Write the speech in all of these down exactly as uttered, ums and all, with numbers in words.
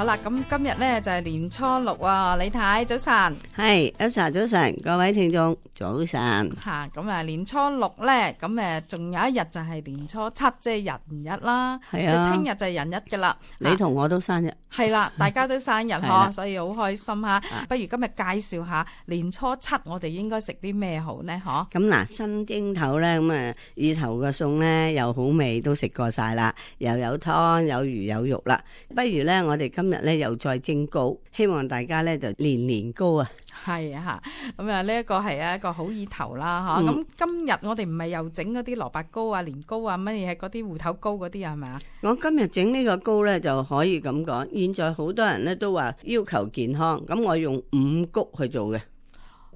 啦，咁今日咧就係年初六啊，李太早晨。係，Elsa早晨，各位聽眾早晨。吓，咁啊年初六咧，咁誒仲有一日就係年初七，即係人日啦。係啊，即係聽日就係人日噶啦。你同我都生日。係啦，大家都生日嗬，所以好開心吓。不如今日介紹下年初七我哋應該食啲咩好呢？嗬。咁嗱，新蒸頭咧，咁啊意頭嘅餸咧又好味，都食過晒啦，又有湯有魚有肉啦。不如咧，我哋今日咧又再蒸糕，希望大家咧就年年糕啊！係啊，咁啊呢一個係一個好意頭啦，嗬、嗯。咁今日我哋唔係又整嗰啲蘿蔔糕啊、年糕啊乜嘢嗰啲芋頭糕嗰啲啊，係咪啊？我今日整呢個糕咧就可以咁講，現在好多人咧都話要求健康，咁我用五穀去做嘅。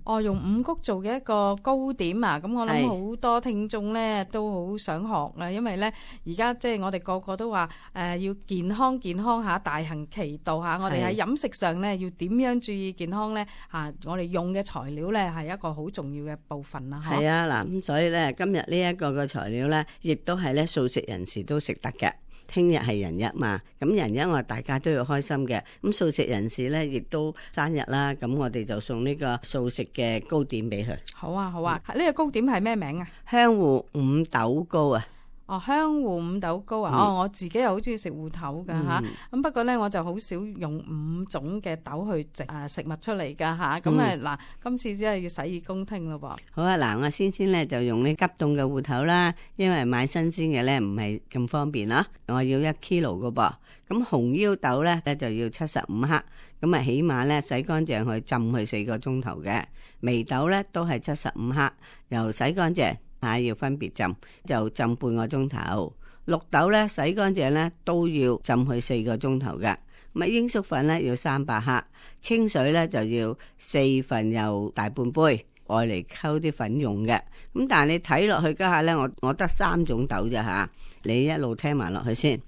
哦，用五穀做嘅一個糕點啊！咁我諗好多聽眾咧都好想學啊，因為咧而家即係我哋個個都話誒、呃、要健康健康下，大行其道吓。我哋喺飲食上咧要點樣注意健康咧吓？我哋用嘅材料咧係一個好重要嘅部分啦。係啊，嗱咁所以咧今日呢一個嘅材料咧，亦都係咧素食人士都食得嘅。聽日係人日嘛，咁人日我哋大家都要開心嘅。咁素食人士咧，亦都生日啦，咁我哋就送呢個素食嘅糕點俾佢。好啊，好啊，呢、嗯、個糕點係咩名啊？香芋五豆糕啊！哦，香芋五豆糕啊！嗯、哦，我自己又好中意食芋頭噶吓，咁、嗯、不過咧我就好少用五種嘅豆去整誒食物出嚟噶吓，咁誒嗱，今次只係要洗耳恭聽咯噃。好啊，嗱，我先先咧就用呢急凍嘅芋頭啦，因為買新鮮嘅咧唔係咁方便啦。我要一 kilo 噶噃，咁紅腰豆咧咧就要七十五克，咁啊起碼咧洗乾淨去浸佢四個鐘頭嘅。眉豆咧都係七十五克，又洗乾淨。吓，要分別浸，就浸半個鐘頭。綠豆咧洗乾淨咧都要浸佢四個鐘頭嘅。咁啊鷹粟粉咧要三百克，清水咧就要四份又大半杯，愛嚟溝啲粉用嘅。咁但係你睇落去家下咧，我我得三種豆啫吓，你一路聽埋落去先。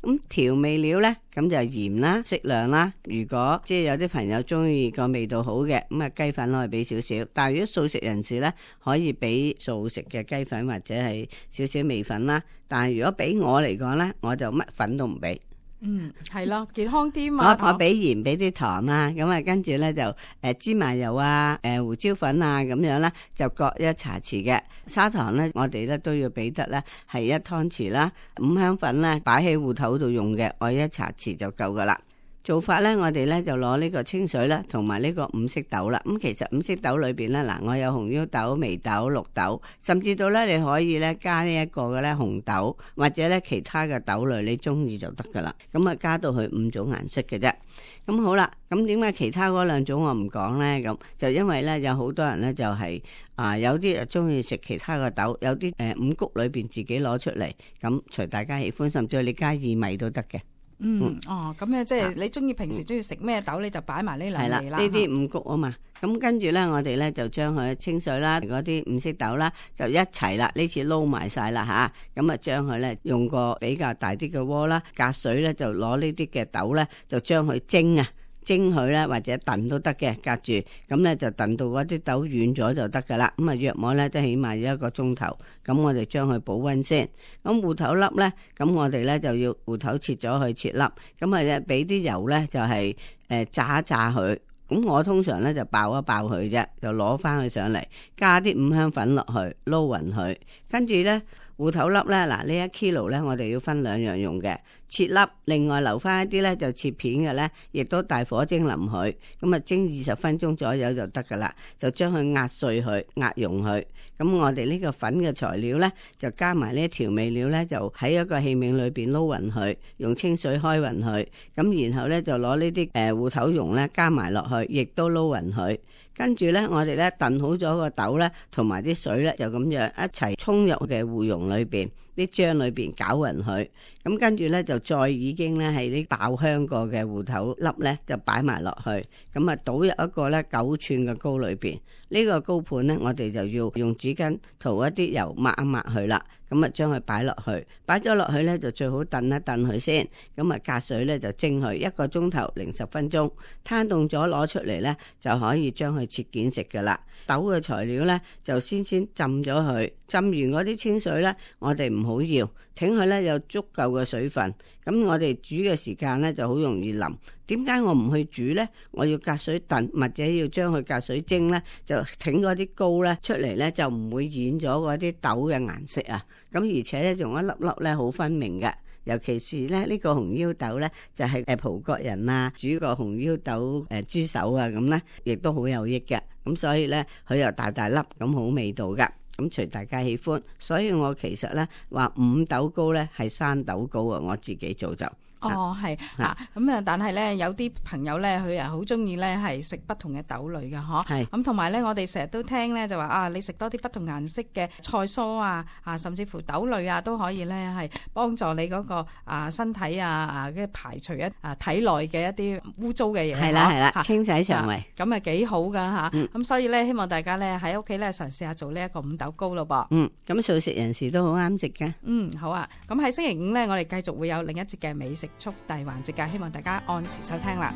咁調味料呢，咁就鹽啦，適量啦。如果即係有啲朋友中意個味道好嘅，咁啊雞粉可以俾少少。但係如果素食人士呢，可以俾素食嘅雞粉或者係少少味粉啦。但係如果俾我嚟講呢，我就乜粉都唔俾。嗯，係咯，健康啲嘛。我我俾鹽，俾啲糖啦，咁啊跟住咧就誒、呃、芝麻油啊，誒、呃、胡椒粉啊咁樣啦，就各一茶匙嘅。砂糖咧，我哋咧都要俾得咧係一湯匙啦。五香粉咧擺喺芋頭度用嘅，我一茶匙就夠噶啦。做法咧，我哋咧就攞呢個清水啦，同埋呢個五色豆啦。咁其實五色豆裏邊咧，嗱我有紅腰豆、眉豆、綠豆，甚至到咧你可以咧加呢一個嘅咧紅豆，或者咧其他嘅豆類，你中意就得噶啦。咁啊加到去五種顏色嘅啫。咁好啦，咁點解其他嗰兩種我唔講咧？咁就因為咧有好多人咧就係、是、啊有啲啊中意食其他嘅豆，有啲誒、呃、五穀裏邊自己攞出嚟，咁隨大家喜歡，甚至你加薏米都得嘅。嗯，嗯哦，咁咧即係你中意平時中意食咩豆，你就擺埋呢兩味啦。係啦，呢啲五穀啊嘛，咁跟住咧，我哋咧就將佢清水啦，嗰啲五色豆啦，就一齊啦，呢次撈埋晒啦吓，咁啊將佢咧用個比較大啲嘅鍋啦，隔水咧就攞呢啲嘅豆咧，就將佢蒸啊。蒸佢咧或者燉都得嘅，隔住咁咧就燉到嗰啲豆軟咗就得噶啦。咁啊約莫咧都起碼要一個鐘頭。咁我哋將佢保溫先。咁芋頭粒咧，咁我哋咧就要芋頭切咗去切粒。咁啊咧俾啲油咧就係誒炸一炸佢。咁我通常咧就爆一爆佢啫，就攞翻佢上嚟，加啲五香粉落去撈勻佢，跟住咧。芋頭粒咧，嗱呢一 kilo 咧，我哋要分兩樣用嘅，切粒，另外留翻一啲咧就切片嘅咧，亦都大火蒸腍佢，咁啊蒸二十分鐘左右就得噶啦，就將佢壓碎佢，壓溶佢。咁我哋呢個粉嘅材料咧，就加埋呢啲調味料咧，就喺一個器皿裏邊撈勻佢，用清水開勻佢，咁然後咧就攞呢啲誒芋頭蓉咧加埋落去，亦都撈勻佢。跟住咧，我哋咧燉好咗個豆咧，同埋啲水咧，就咁樣一齊沖入嘅芋蓉裏邊，啲漿裏邊攪勻佢。咁跟住咧就再已經咧係啲爆香過嘅芋頭粒咧，就擺埋落去。咁啊倒入一個咧九寸嘅糕裏邊。呢個糕盤咧，我哋就要用紙巾塗一啲油抹一抹佢啦。咁啊將佢擺落去，擺咗落去咧就最好燉一燉佢先。咁啊隔水咧就蒸佢一個鐘頭零十分鐘，攤凍咗攞出嚟咧就可以將佢切件食噶啦。豆嘅材料咧就先先浸咗佢，浸完嗰啲清水咧我哋唔好要，請佢咧有足夠嘅水分。咁我哋煮嘅時間咧就好容易腍。點解我唔去煮咧？我要隔水燉，或者要將佢隔水蒸咧，就整嗰啲膏咧出嚟咧，就唔會染咗嗰啲豆嘅顏色啊。咁而且咧仲一粒粒咧好分明嘅。尤其是咧呢個紅腰豆咧，就係誒葡國人啊煮個紅腰豆誒豬手啊咁咧，亦都好有益嘅。咁所以咧佢又大大粒咁好味道噶。咁隨大家喜歡，所以我其實咧話五豆糕咧係生豆糕啊，我自己做就。哦，係啊，咁啊，但係咧有啲朋友咧，佢啊好中意咧係食不同嘅豆類嘅，嗬。係。咁同埋咧，我哋成日都聽咧就話啊，你食多啲不同顏色嘅菜蔬啊，啊，甚至乎豆類啊，都可以咧係幫助你嗰個啊身體啊啊，嘅排除一啊體內嘅一啲污糟嘅嘢。係啦係啦，清洗腸胃。咁啊幾好噶嚇。咁所以咧，希望大家咧喺屋企咧嘗試下做呢一個五豆糕咯噃。嗯。咁素食人士都好啱食嘅。嗯，好啊。咁喺星期五咧，我哋繼續會有另一節嘅美食速遞環節㗎，希望大家按時收聽啦。